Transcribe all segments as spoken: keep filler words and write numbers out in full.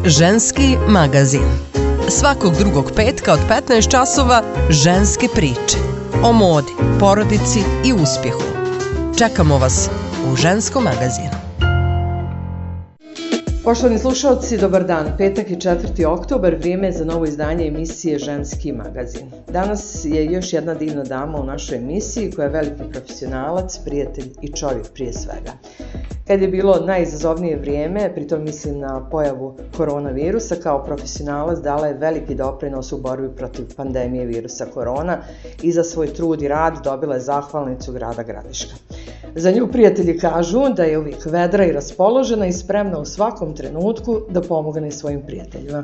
Ženski magazin. Svakog drugog petka od petnaest časova ženske priče. O modi, porodici i uspjehu. Čekamo vas u Ženskom magazinu. Poštovani slušalci, dobar dan. Petak je četvrti oktobar, vrijeme je za novo izdanje emisije Ženski magazin. Danas je još jedna divna dama u našoj emisiji koja je veliki profesionalac, prijatelj i čovjek prije svega. Kad je bilo najizazovnije vrijeme, pritom mislim na pojavu koronavirusa, kao profesionalac dala je veliki doprinos u borbi protiv pandemije virusa korona i za svoj trud i rad dobila je zahvalnicu grada Gradiška. Za nju prijatelji kažu da je uvijek vedra i raspoložena i spremna u svakom trenutku da pomogne svojim prijateljima.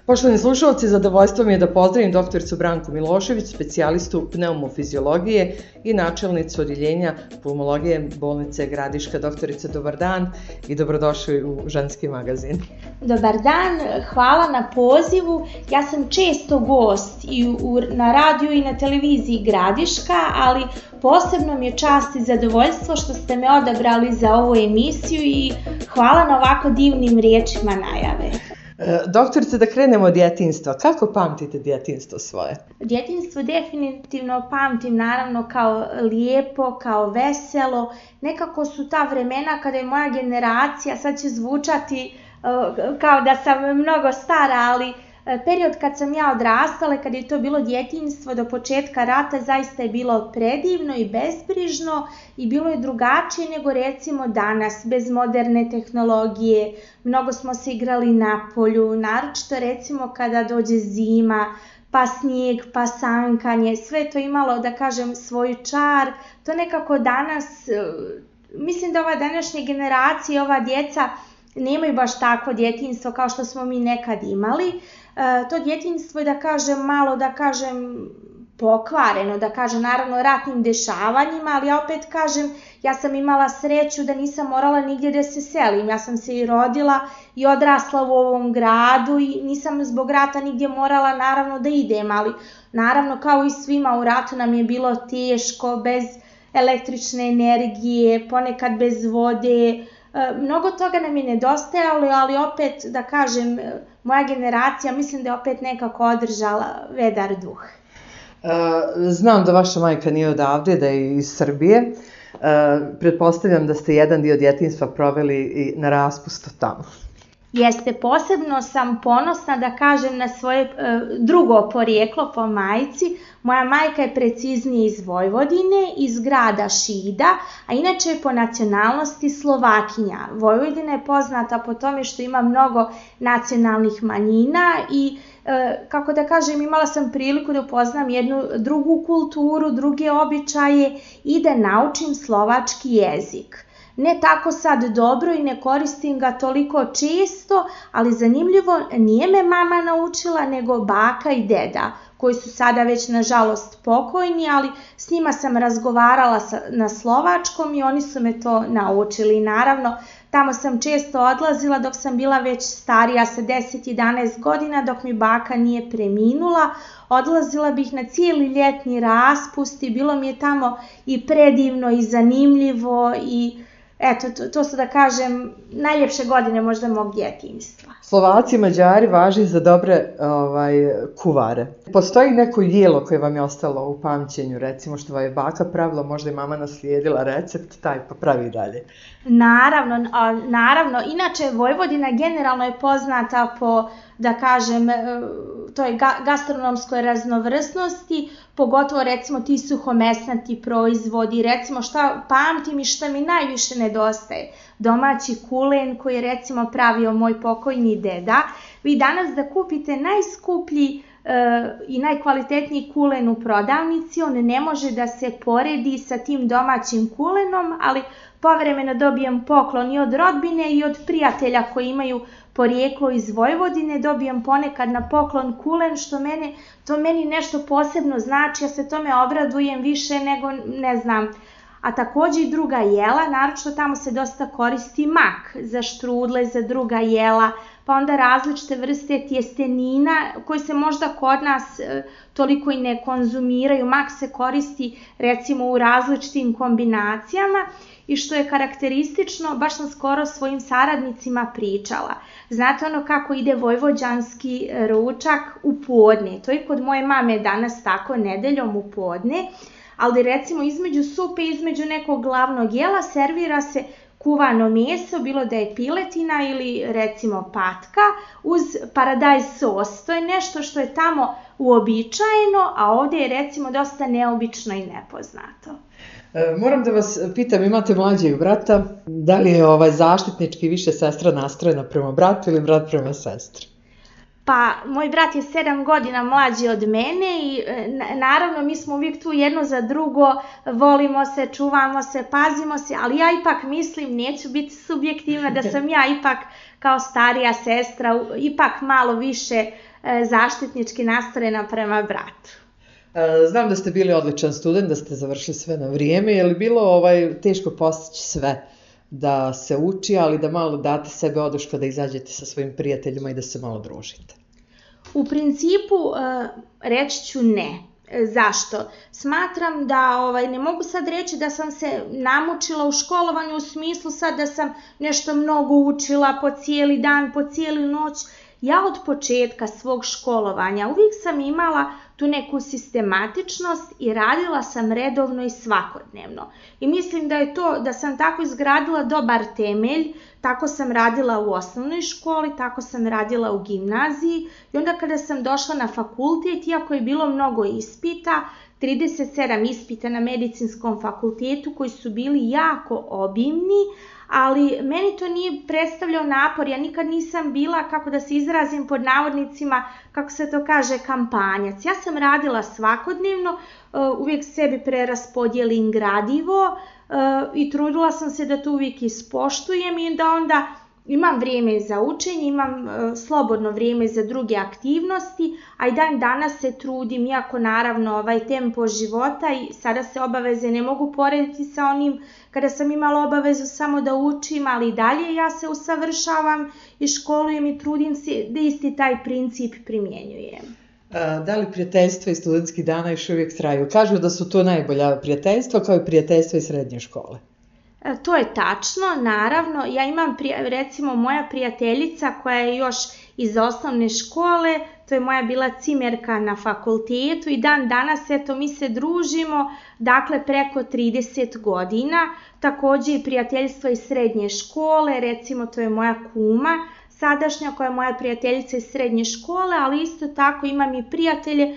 Poštovani slušalci, zadovoljstvo mi je da pozdravim doktoricu Branku Milošević, specijalistu pneumofiziologije i načelnicu odjeljenja pulmologije bolnice Gradiška. Doktorice, dobar dan i dobrodošli u Ženski magazin. Dobar dan, hvala na pozivu. Ja sam često gost i u, na radiju i na televiziji Gradiška, ali posebno mi je čast i zadovoljstvo što ste me odabrali za ovu emisiju i hvala na ovako divnim riječima najave. Doktorice, da krenemo od djetinjstva. Kako pamtite djetinjstvo svoje? Djetinjstvo definitivno pamtim naravno kao lijepo, kao veselo. Nekako su ta vremena kada je moja generacija, sad će zvučati uh, kao da sam mnogo stara, ali period kad sam ja odrastala, kad je to bilo djetinjstvo do početka rata, zaista je bilo predivno i bezbrižno i bilo je drugačije nego recimo danas, bez moderne tehnologije. Mnogo smo se igrali na polju, naročito recimo kada dođe zima, pa snijeg, pa sankanje, sve to imalo, da kažem, svoj čar. To nekako danas, mislim da ova današnja generacija, ova djeca nemaju baš takvo djetinjstvo kao što smo mi nekad imali. To djetinjstvo je, da kažem, malo, da kažem, pokvareno, da kažem, naravno ratnim dešavanjima, ali ja opet kažem, ja sam imala sreću da nisam morala nigdje da se selim. Ja sam se i rodila i odrasla u ovom gradu i nisam zbog rata nigdje morala naravno da idem, ali naravno kao i svima u ratu nam je bilo teško, bez električne energije, ponekad bez vode. Mnogo toga nam je nedostajalo, ali opet, da kažem, moja generacija mislim da je opet nekako održala vedar duh. Znam da vaša majka nije odavde, da je iz Srbije. Pretpostavljam da ste jedan dio djetinjstva proveli i na raspustu tamo. Jeste, posebno sam ponosna da kažem na svoje e, drugo porijeklo po majci. Moja majka je preciznije iz Vojvodine, iz grada Šida, a inače je po nacionalnosti Slovakinja. Vojvodina je poznata po tome što ima mnogo nacionalnih manjina i e, kako da kažem, imala sam priliku da upoznam jednu drugu kulturu, druge običaje i da naučim slovački jezik. Ne tako sad dobro i ne koristim ga toliko često, ali zanimljivo, nije me mama naučila nego baka i deda, koji su sada već nažalost pokojni, ali s njima sam razgovarala na slovačkom i oni su me to naučili. Naravno, tamo sam često odlazila dok sam bila već starija sa deset do jedanaest godina, dok mi baka nije preminula. Odlazila bih na cijeli ljetni raspust i bilo mi je tamo i predivno i zanimljivo i eto, to, to su, da kažem, najljepše godine možda mog djetinjstva. Slovaci i Mađari važi za dobre ovaj, kuvare. Postoji neko jelo koje vam je ostalo u pamćenju, recimo što vam je baka pravila, možda je mama naslijedila recept, taj pa pravi dalje? Naravno, a, naravno. Inače, Vojvodina generalno je poznata po, da kažem, toj ga- gastronomskoj raznovrsnosti, pogotovo recimo ti suhomesnati proizvodi, recimo šta pamtim i šta mi najviše nedostaje. Domaći kulen koji je recimo pravio moj pokojni deda. Vi danas da kupite najskuplji e, i najkvalitetniji kulen u prodavnici, on ne može da se poredi sa tim domaćim kulenom, ali povremeno dobijem poklon i od rodbine i od prijatelja koji imaju porijeklo iz Vojvodine, dobijem ponekad na poklon kulen, što mene, to meni nešto posebno znači, ja se tome obradujem više nego, ne znam, a takođe i druga jela, naročito tamo se dosta koristi mak za štrudle, za druga jela, pa onda različite vrste tjestenina koji se možda kod nas e, toliko i ne konzumiraju. Mak se koristi recimo u različitim kombinacijama i što je karakteristično, baš sam skoro svojim saradnicima pričala. Znate ono kako ide vojvođanski ručak u podne, to je kod moje mame danas tako nedeljom u podne, ali recimo između supe, između nekog glavnog jela servira se kuvano meso, bilo da je piletina ili recimo patka, uz paradajz sos. To je nešto što je tamo uobičajeno, a ovdje je recimo dosta neobično i nepoznato. E, moram da vas pitam, imate mlađeg brata, da li je ovaj zaštitnički više sestra nastrojena prema bratu ili brat prema sestri? Pa, moj brat je sedam godina mlađi od mene i naravno mi smo uvijek tu jedno za drugo, volimo se, čuvamo se, pazimo se, ali ja ipak mislim, neću biti subjektivna, da sam ja ipak kao starija sestra ipak malo više zaštitnički nastrojena prema bratu. Znam da ste bili odličan student, da ste završili sve na vrijeme, je li bilo ovaj, teško postići sve? Da se uči, ali da malo date sebe oduška da izađete sa svojim prijateljima i da se malo družite? U principu reći ću ne. Zašto? Smatram da ovaj, ne mogu sad reći da sam se namučila u školovanju u smislu sad da sam nešto mnogo učila po cijeli dan, po cijelu noć. Ja od početka svog školovanja uvijek sam imala tu neku sistematičnost i radila sam redovno i svakodnevno. I mislim da je to, da sam tako izgradila dobar temelj, tako sam radila u osnovnoj školi, tako sam radila u gimnaziji i onda kada sam došla na fakultet, iako je bilo mnogo ispita, trideset sedam ispita na medicinskom fakultetu koji su bili jako obimni, ali meni to nije predstavljao napor, ja nikad nisam bila, kako da se izrazim pod navodnicima, kako se to kaže, kampanjac. Ja sam radila svakodnevno, uvijek sebi preraspodjelim gradivo i trudila sam se da to uvijek ispoštujem i da onda imam vrijeme za učenje, imam slobodno vrijeme za druge aktivnosti, a i dan danas se trudim, iako naravno ovaj tempo života i sada se obaveze ne mogu porediti sa onim kada sam imala obavezu samo da učim, ali i dalje ja se usavršavam i školujem i trudim se da isti taj princip primjenjujem. Da li prijateljstva i studentskih dana još uvijek traju? Kažu da su to najbolja prijateljstva kao i prijateljstva iz srednje škole. To je tačno, naravno. Ja imam, recimo, moja prijateljica koja je još iz osnovne škole, to je moja bila cimerka na fakultetu i dan danas, eto, mi se družimo, dakle, preko trideset godina. Također i prijateljstva iz srednje škole, recimo, to je moja kuma, sadašnja koja je moja prijateljica iz srednje škole, ali isto tako imam i prijatelje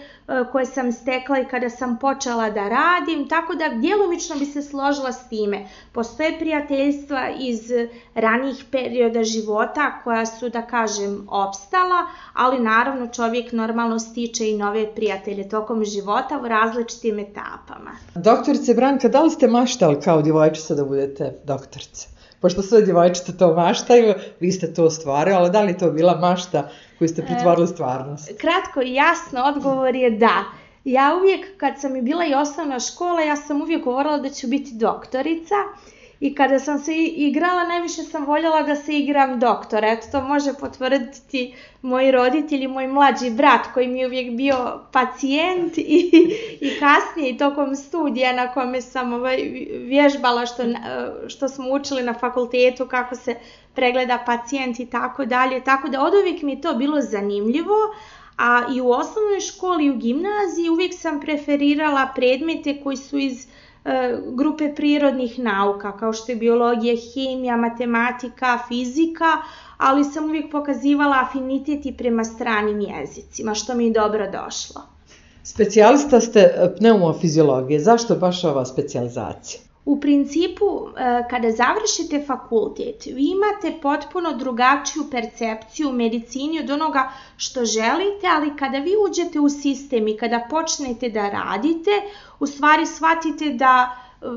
koje sam stekla i kada sam počela da radim, tako da djelomično bi se složila s time. Postoje prijateljstva iz ranijih perioda života koja su, da kažem, opstala, ali naravno čovjek normalno stiče i nove prijatelje tokom života u različitim etapama. Doktorice Branka, da li ste maštali kao djevojčica da budete doktorica? Pošto sve djevojčice to maštaju, vi ste to ostvarili, ali da li to bila mašta koju ste pretvorili stvarnost? Kratko i jasno, odgovor je da. Ja uvijek, kad sam i bila i osnovna škola, ja sam uvijek govorila da ću biti doktorica i kada sam se igrala, najviše sam voljela da se igram doktora. Eto, to može potvrditi moji roditelji, moj mlađi brat koji mi je uvijek bio pacijent i, i kasnije i tokom studija na kome sam ovaj, vježbala što, što smo učili na fakultetu, kako se pregleda pacijent i tako dalje. Tako da od uvijek mi je to bilo zanimljivo, a i u osnovnoj školi i u gimnaziji uvijek sam preferirala predmete koji su iz grupe prirodnih nauka, kao što je biologija, hemija, matematika, fizika, ali sam uvijek pokazivala afinitet i prema stranim jezicima, što mi je dobro došlo. Specijalista ste pneumofiziologije, zašto baš ova specijalizacija? U principu, kada završite fakultet, vi imate potpuno drugačiju percepciju u medicini od onoga što želite, ali kada vi uđete u sistem i kada počnete da radite, u stvari shvatite da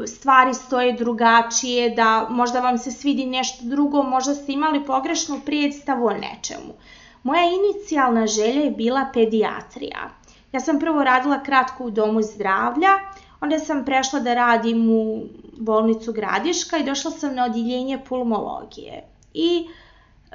stvari stoje drugačije, da možda vam se svidi nešto drugo, možda ste imali pogrešnu predstavu o nečemu. Moja inicijalna želja je bila pedijatrija. Ja sam prvo radila kratko u domu zdravlja, onda sam prešla da radim u bolnicu Gradiška i došla sam na odjeljenje pulmologije. I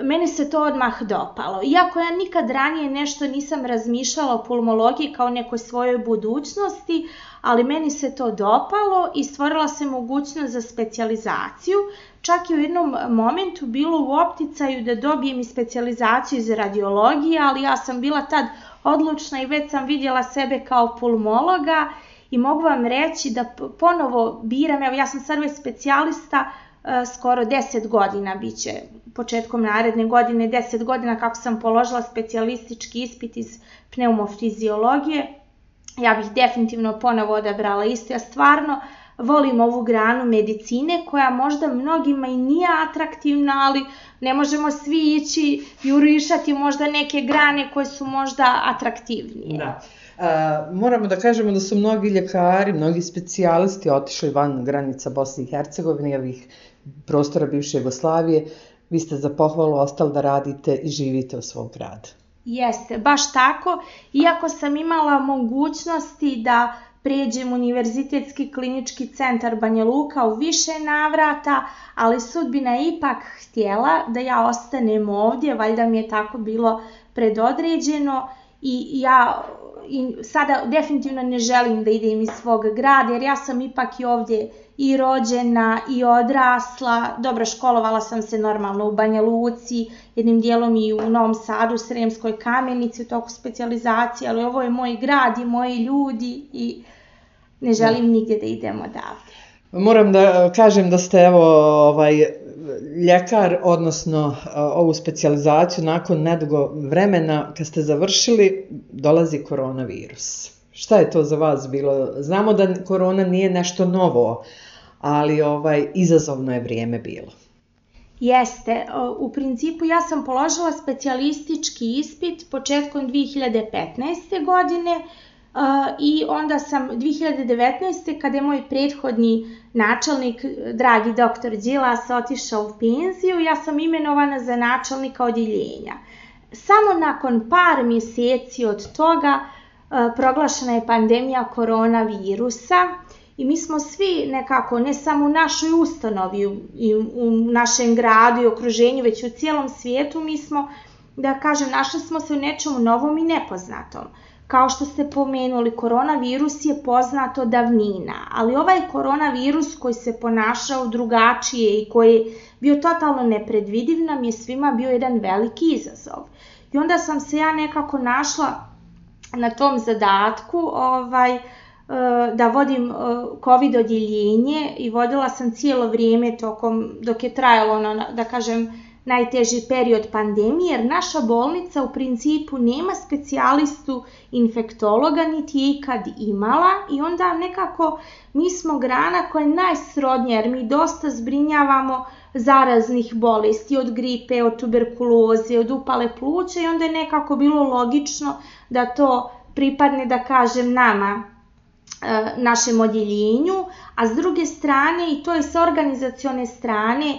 meni se to odmah dopalo. Iako ja nikad ranije nešto nisam razmišljala o pulmologiji kao nekoj svojoj budućnosti, ali meni se to dopalo i stvorila se mogućnost za specijalizaciju. Čak i u jednom momentu bilo u opticaju da dobijem i specijalizaciju iz radiologije, ali ja sam bila tad odlučna i već sam vidjela sebe kao pulmologa i mogu vam reći da ponovo biram, evo ja sam sad već specijalista skoro deset godina, bit će početkom naredne godine deset godina kako sam položila specijalistički ispit iz pneumofiziologije. Ja bih definitivno ponovo odabrala isto. Ja stvarno volim ovu granu medicine koja možda mnogima i nije atraktivna, ali ne možemo svi ići jurišati možda neke grane koje su možda atraktivnije. Da. Uh, moramo da kažemo da su mnogi ljekari, mnogi specijalisti otišli van granica Bosne i Hercegovine i ovih prostora bivše Jugoslavije. Vi ste za pohvalu ostali da radite i živite u svom gradu. Jeste, baš tako. Iako sam imala mogućnosti da pređem Univerzitetski klinički centar Banja Luka u više navrata, ali sudbina je ipak htjela da ja ostanem ovdje, valjda mi je tako bilo predodređeno i ja i sada definitivno ne želim da idem iz svog grada, jer ja sam ipak i ovdje i rođena i odrasla. Dobro, školovala sam se normalno u Banja Luci, jednim dijelom i u Novom Sadu, Sremskoj Kamenici u toku specijalizacije, ali ovo je moj grad i moji ljudi i ne želim da. nigdje da idem odavde. Moram da kažem da ste evo ovaj ljekar, odnosno ovu specijalizaciju nakon nedugo vremena kad ste završili dolazi koronavirus. Šta je to za vas bilo? Znamo da korona nije nešto novo, ali ovaj izazovno je vrijeme bilo. Jeste, u principu ja sam položila specijalistički ispit početkom dvije hiljade petnaeste. godine i onda sam dvije hiljade devetnaeste. kada je moj prethodni načelnik, dragi doktor Đilas, otišao u penziju, ja sam imenovana za načelnika odjeljenja. Samo nakon par mjeseci od toga proglašena je pandemija koronavirusa i mi smo svi nekako, ne samo u našoj ustanovi i u našem gradu i okruženju, već u cijelom svijetu, mi smo, da kažem, našli smo se u nečemu novom i nepoznatom. Kao što ste pomenuli, koronavirus je poznat od davnina, ali ovaj koronavirus koji se ponašao drugačije i koji je bio totalno nepredvidiv nam je svima bio jedan veliki izazov. I onda sam se ja nekako našla na tom zadatku ovaj, da vodim COVID odjeljenje i vodila sam cijelo vrijeme tokom, dok je trajalo ono, da kažem, najteži period pandemije, jer naša bolnica u principu nema specijalistu infektologa, niti je ikad imala i onda nekako mi smo grana koja je najsrodnija, jer mi dosta zbrinjavamo zaraznih bolesti, od gripe, od tuberkuloze, od upale pluća i onda je nekako bilo logično da to pripadne, da kažem, nama, našem odjeljenju, a s druge strane i to je sa organizacione strane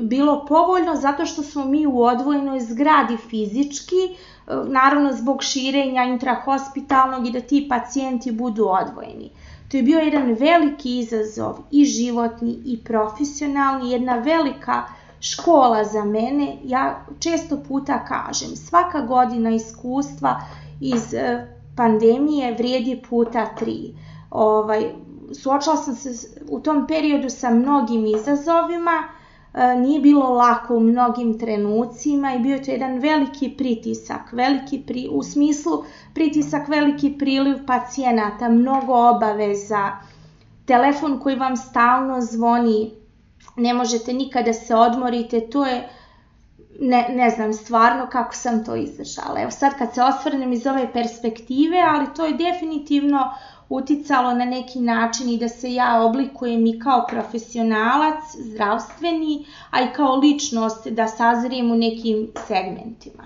bilo povoljno zato što smo mi u odvojenoj zgradi fizički, naravno zbog širenja intrahospitalnog i da ti pacijenti budu odvojeni. To je bio jedan veliki izazov i životni i profesionalni, jedna velika škola za mene. Ja često puta kažem, svaka godina iskustva iz pandemije vrijedi puta tri. Ovaj, suočila sam se u tom periodu sa mnogim izazovima, nije bilo lako u mnogim trenucima i bio je to jedan veliki pritisak, veliki pri, u smislu pritisak, veliki priliv pacijenata, mnogo obaveza, telefon koji vam stalno zvoni, ne možete nikada se odmorite, to je, ne, ne znam stvarno kako sam to izdržala. Evo sad kad se osvrnem iz ove perspektive, ali to je definitivno uticalo na neki način i da se ja oblikujem i kao profesionalac zdravstveni, a i kao ličnost da sazrijem u nekim segmentima.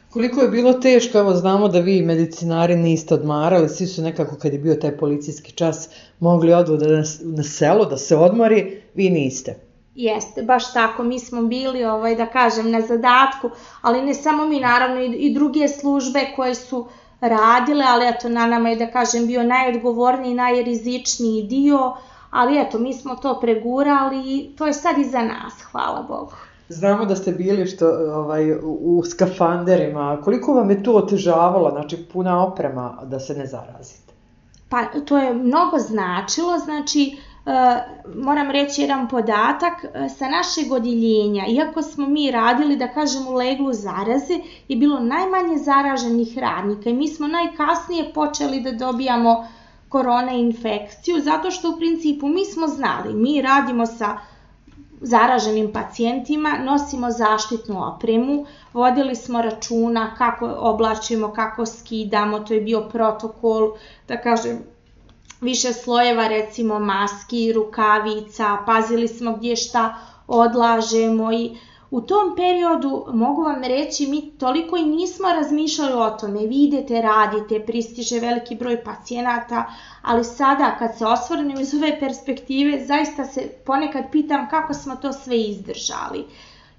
Koliko je bilo teško, evo znamo da vi medicinari niste odmarali, svi su nekako kad je bio taj policijski čas mogli odu na, na selo da se odmori, vi niste. Jeste, baš tako, mi smo bili, ovaj, da kažem, na zadatku, ali ne samo mi, naravno i, i druge službe koje su radile, ali eto, na nama je, da kažem, bio najodgovorniji, najrizičniji dio, ali eto, mi smo to pregurali i to je sad iza nas, hvala Bogu. Znamo da ste bili što, ovaj, u skafanderima. Koliko vam je to otežavalo, znači puna oprema, da se ne zarazite? Pa to je mnogo značilo, znači e, moram reći jedan podatak, e, sa našeg odjeljenja, iako smo mi radili, da kažem, u leglu zaraze, je bilo najmanje zaraženih radnika i mi smo najkasnije počeli da dobijamo korona infekciju, zato što u principu mi smo znali, mi radimo sa zaraženim pacijentima, nosimo zaštitnu opremu, vodili smo računa kako oblačimo, kako skidamo, to je bio protokol, da kažem, više slojeva, recimo maski, rukavica, pazili smo gdje šta odlažemo i u tom periodu, mogu vam reći, mi toliko i nismo razmišljali o tome, vi idete, radite, pristiže veliki broj pacijenata, ali sada kad se osvrnem iz ove perspektive, zaista se ponekad pitam kako smo to sve izdržali.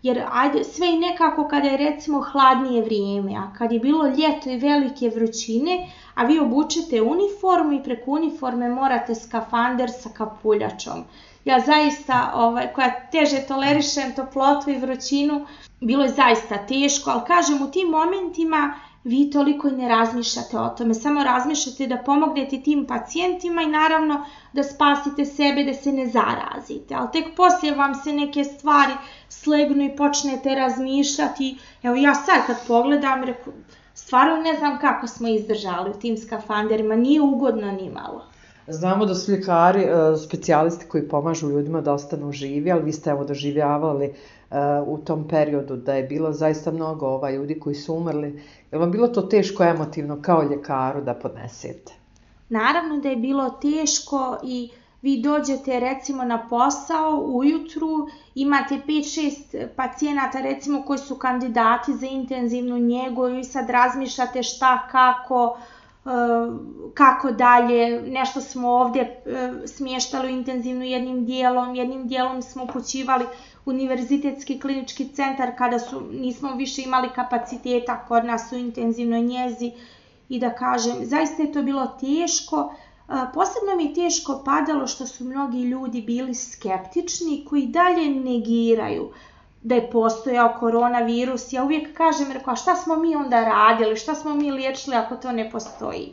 Jer ajde, sve i nekako kada je recimo hladnije vrijeme, a kad je bilo ljeto i velike vrućine, a vi obučete uniformu i preko uniforme morate skafander sa kapuljačom. Ja zaista, ovaj, koja teže tolerišem toplotu i vrućinu, bilo je zaista teško, ali kažem, u tim momentima vi toliko i ne razmišljate o tome, samo razmišljate da pomognete tim pacijentima i naravno da spasite sebe, da se ne zarazite. Ali tek poslije vam se neke stvari slegnu i počnete razmišljati. Evo ja sad kad pogledam, reku, stvarno ne znam kako smo izdržali u tim skafanderima, nije ugodno ni malo. Znamo da su ljekari, specijalisti koji pomažu ljudima da ostanu živi, ali vi ste evo doživljavali u tom periodu da je bilo zaista mnogo ovaj, ljudi koji su umrli. Je vam bilo to teško emotivno kao ljekaru da podnesete? Naravno da je bilo teško i vi dođete recimo na posao ujutru, imate pet šest pacijenata recimo koji su kandidati za intenzivnu njegu i sad razmišljate šta, kako, kako dalje, nešto smo ovdje smještali u intenzivnu jednim dijelom, jednim dijelom smo upućivali univerzitetski klinički centar kada su, nismo više imali kapaciteta kod nas u intenzivnoj njezi i da kažem, zaista je to bilo teško. Posebno mi je teško padalo što su mnogi ljudi bili skeptični koji dalje negiraju da je postojao koronavirus. Ja uvijek kažem, rekao, a šta smo mi onda radili, šta smo mi liječili ako to ne postoji?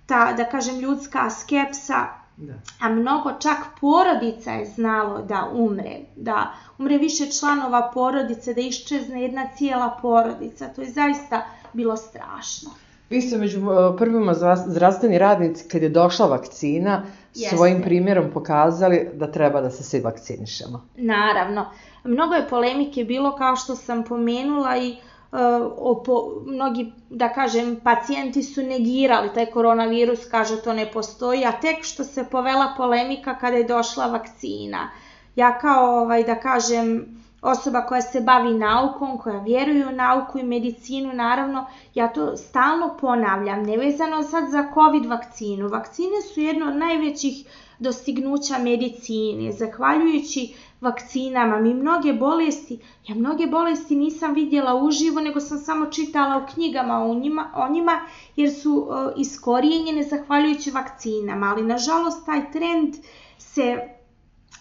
Ta, da kažem, ljudska skepsa, da. A mnogo čak porodica je znalo da umre, da umre više članova porodice, da iščezne jedna cijela porodica. To je zaista bilo strašno. Vi ste među prvima zdravstveni radnici kad je došla vakcina Jeste. Svojim primjerom pokazali da treba da se svi vakcinišemo. Naravno. Mnogo je polemike bilo kao što sam pomenula i uh, opo, mnogi, da kažem, pacijenti su negirali taj koronavirus, kaže to ne postoji, a tek što se povela polemika kada je došla vakcina. Ja kao, ovaj, da kažem, osoba koja se bavi naukom, koja vjeruje u nauku i medicinu, naravno, ja to stalno ponavljam, nevezano sad za COVID vakcinu. Vakcine su jedno od najvećih dostignuća medicine. Zahvaljujući vakcinama, mi mnoge bolesti, ja mnoge bolesti nisam vidjela uživo, nego sam samo čitala u knjigama o njima, o njima jer su uh, iskorijenjene zahvaljujući vakcinama, ali nažalost taj trend se,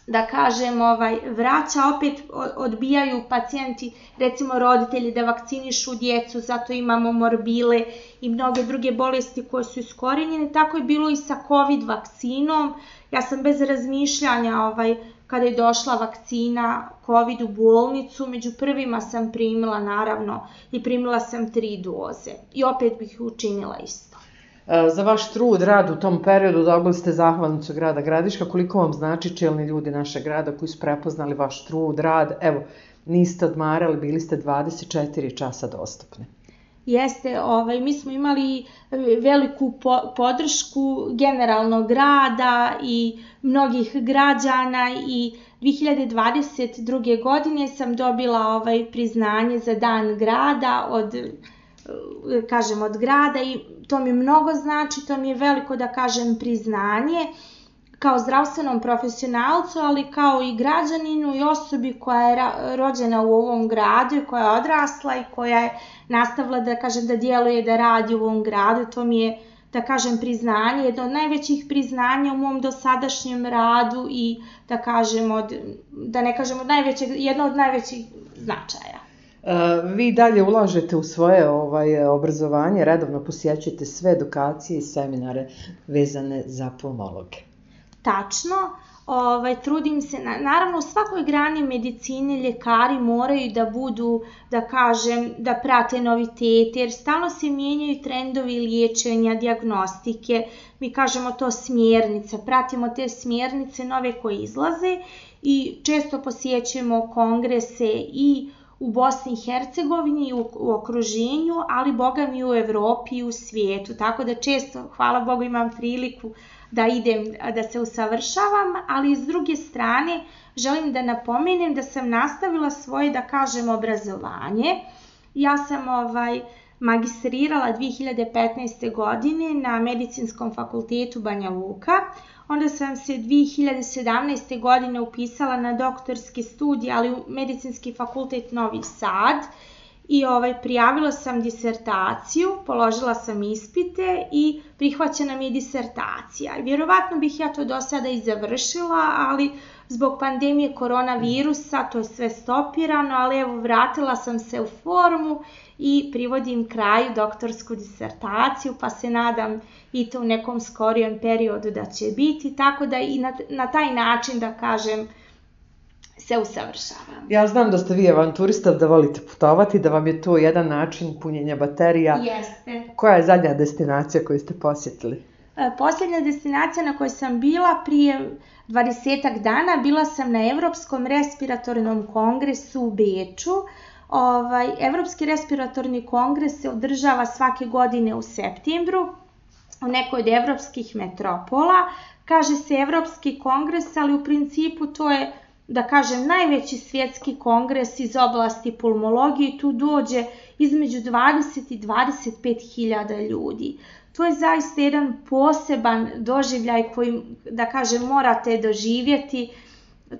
da kažem, ovaj, vraća, opet odbijaju pacijenti, recimo roditelji da vakcinišu djecu, zato imamo morbile i mnoge druge bolesti koje su iskorijenjene, tako je bilo i sa COVID vakcinom. Ja sam bez razmišljanja, ovaj, kada je došla vakcina COVID u bolnicu, među prvima sam primila naravno i primila sam tri doze i opet bih učinila isto. Za vaš trud, rad u tom periodu dobili ste zahvalnicu grada Gradiška. Koliko vam znači čelni ljudi našeg grada koji su prepoznali vaš trud, rad? Evo, niste odmarali, bili ste dvadeset četiri časa dostupni. Jeste, ovaj, mi smo imali veliku po, podršku generalnog grada i mnogih građana i dvije hiljade dvadeset druge. godine sam dobila ovaj, priznanje za dan grada od kažem od grada i to mi mnogo znači, to mi je veliko, da kažem, priznanje. kao zdravstvenom profesionalcu, ali kao i građaninu i osobi koja je rođena u ovom gradu i koja je odrasla i koja je nastavila da kažem da djeluje, da radi u ovom gradu. To mi je, da kažem, priznanje, jedno od najvećih priznanja u mom dosadašnjem radu i da kažem od, da ne kažem od najvećeg, jedno od najvećih značaja. Vi dalje ulažete u svoje ovaj, obrazovanje, redovno posjećujete sve edukacije i seminare vezane za pulmologe. Tačno, ovaj, trudim se, naravno u svakoj grani medicine ljekari moraju da budu, da kažem, da prate novitete, jer stalno se mijenjaju trendovi liječenja, dijagnostike, mi kažemo to smjernice, pratimo te smjernice nove koje izlaze i često posjećujemo kongrese i u Bosni i Hercegovini, u, u okruženju, ali boga mi u Evropi i u svijetu, tako da često, hvala Bogu, imam priliku da idem, da se usavršavam, ali s druge strane želim da napomenem da sam nastavila svoje, da kažem, obrazovanje. Ja sam ovaj, magistrirala dvije hiljade petnaeste. godine na Medicinskom fakultetu Banja Luka, onda sam se dvije hiljade sedamnaeste. godine upisala na doktorski studij, ali u Medicinski fakultet Novi Sad, i ovaj, prijavila sam disertaciju, položila sam ispite i prihvaćena mi je disertacija. Vjerovatno bih ja to do sada i završila, ali zbog pandemije koronavirusa to je sve stopirano, ali evo vratila sam se u formu i privodim kraju doktorsku disertaciju, pa se nadam i to u nekom skorijem periodu da će biti, tako da i na, na taj način, da kažem, se usavršavam. Ja znam da ste vi avanturista, da volite putovati, da vam je to jedan način punjenja baterija. Jeste. Koja je zadnja destinacija koju ste posjetili? E, posljednja destinacija na kojoj sam bila prije dvadesetak dana, bila sam na Evropskom respiratornom kongresu u Beču. Ovaj, Evropski respiratorni kongres se održava svake godine u septembru u nekoj od evropskih metropola. Kaže se Evropski kongres, ali u principu to je, da kažem, najveći svjetski kongres iz oblasti pulmologije. Tu dođe između dvadeset i dvadeset pet hiljada ljudi. To je zaista jedan poseban doživljaj koji, da kažem, morate doživjeti.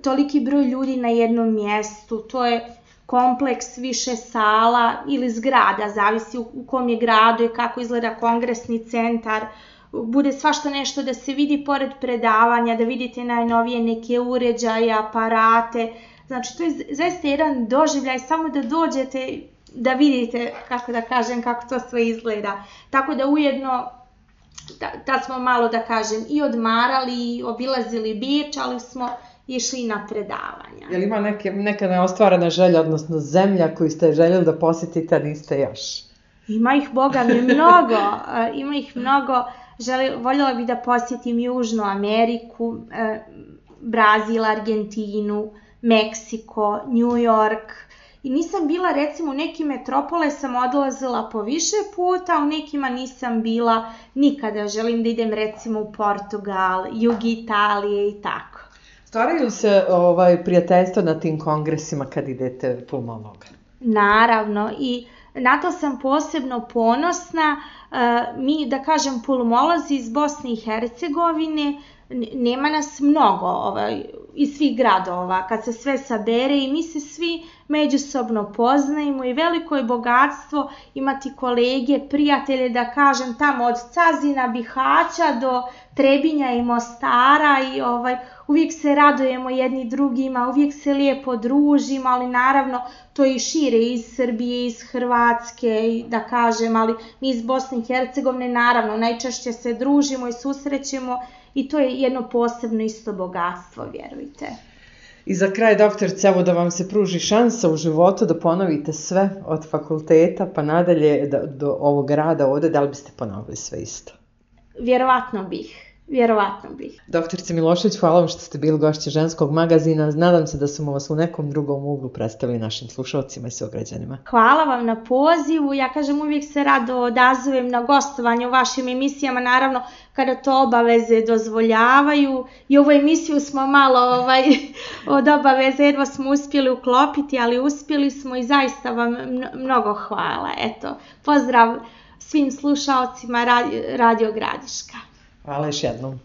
Toliki broj ljudi na jednom mjestu, to je kompleks više sala ili zgrada, zavisi u kom je gradu i kako izgleda kongresni centar. Bude svašta nešto da se vidi pored predavanja, da vidite najnovije neke uređaje, aparate. Znači, to je zaista jedan doživljaj, samo da dođete, da vidite, kako da kažem, kako to sve izgleda. Tako da ujedno, da, da smo malo, da kažem, i odmarali, i obilazili Beč, ali smo išli na predavanja. Je li ima neke, neka neostvarena želja, odnosno zemlja koju ste željeli da posjetite, a niste još? Ima ih, boga mi, mnogo. Ima ih mnogo. Želi, voljela bih da posjetim Južnu Ameriku, eh, Brazil, Argentinu, Meksiko, New York. I nisam bila, recimo, u nekim metropole sam odlazila po više puta, u nekima nisam bila nikada. Želim da idem, recimo, u Portugal, jug Italije i tako. Stvaraju se ovaj, prijateljstva na tim kongresima kad idete pulmologa? Naravno, i na to sam posebno ponosna. Mi, da kažem, pulmolozi iz Bosne i Hercegovine, nema nas mnogo ovaj, iz svih gradova, kad se sve sabere, i mi se svi međusobno poznajemo i veliko je bogatstvo imati kolege, prijatelje, da kažem, tamo od Cazina, Bihaća do Trebinja i Mostara, i ovaj, uvijek se radujemo jedni drugima, uvijek se lijepo družimo, ali naravno to i šire iz Srbije, iz Hrvatske, da kažem, ali mi iz Bosne i Hercegovine naravno najčešće se družimo i susrećemo, i to je jedno posebno isto bogatstvo, vjerujte. I za kraj, doktorice, evo da vam se pruži šansa u životu da ponovite sve od fakulteta pa nadalje do, do ovog rada ovdje, da li biste ponovili sve isto? Vjerovatno bih. Vjerovatno bih. Doktorice Milošević, hvala vam što ste bili gošće Ženskog magazina. Nadam se da smo vas u nekom drugom uglu predstavili našim slušalcima i sugrađanima. Hvala vam na pozivu. Ja kažem, uvijek se rado odazovem na gostovanje u vašim emisijama, naravno kada to obaveze dozvoljavaju. I ovu emisiju smo malo ovaj, od obaveze jedva smo uspjeli uklopiti, ali uspjeli smo i zaista vam mnogo hvala. Eto, pozdrav svim slušalcima Radio Gradiška. Hvala još jednom.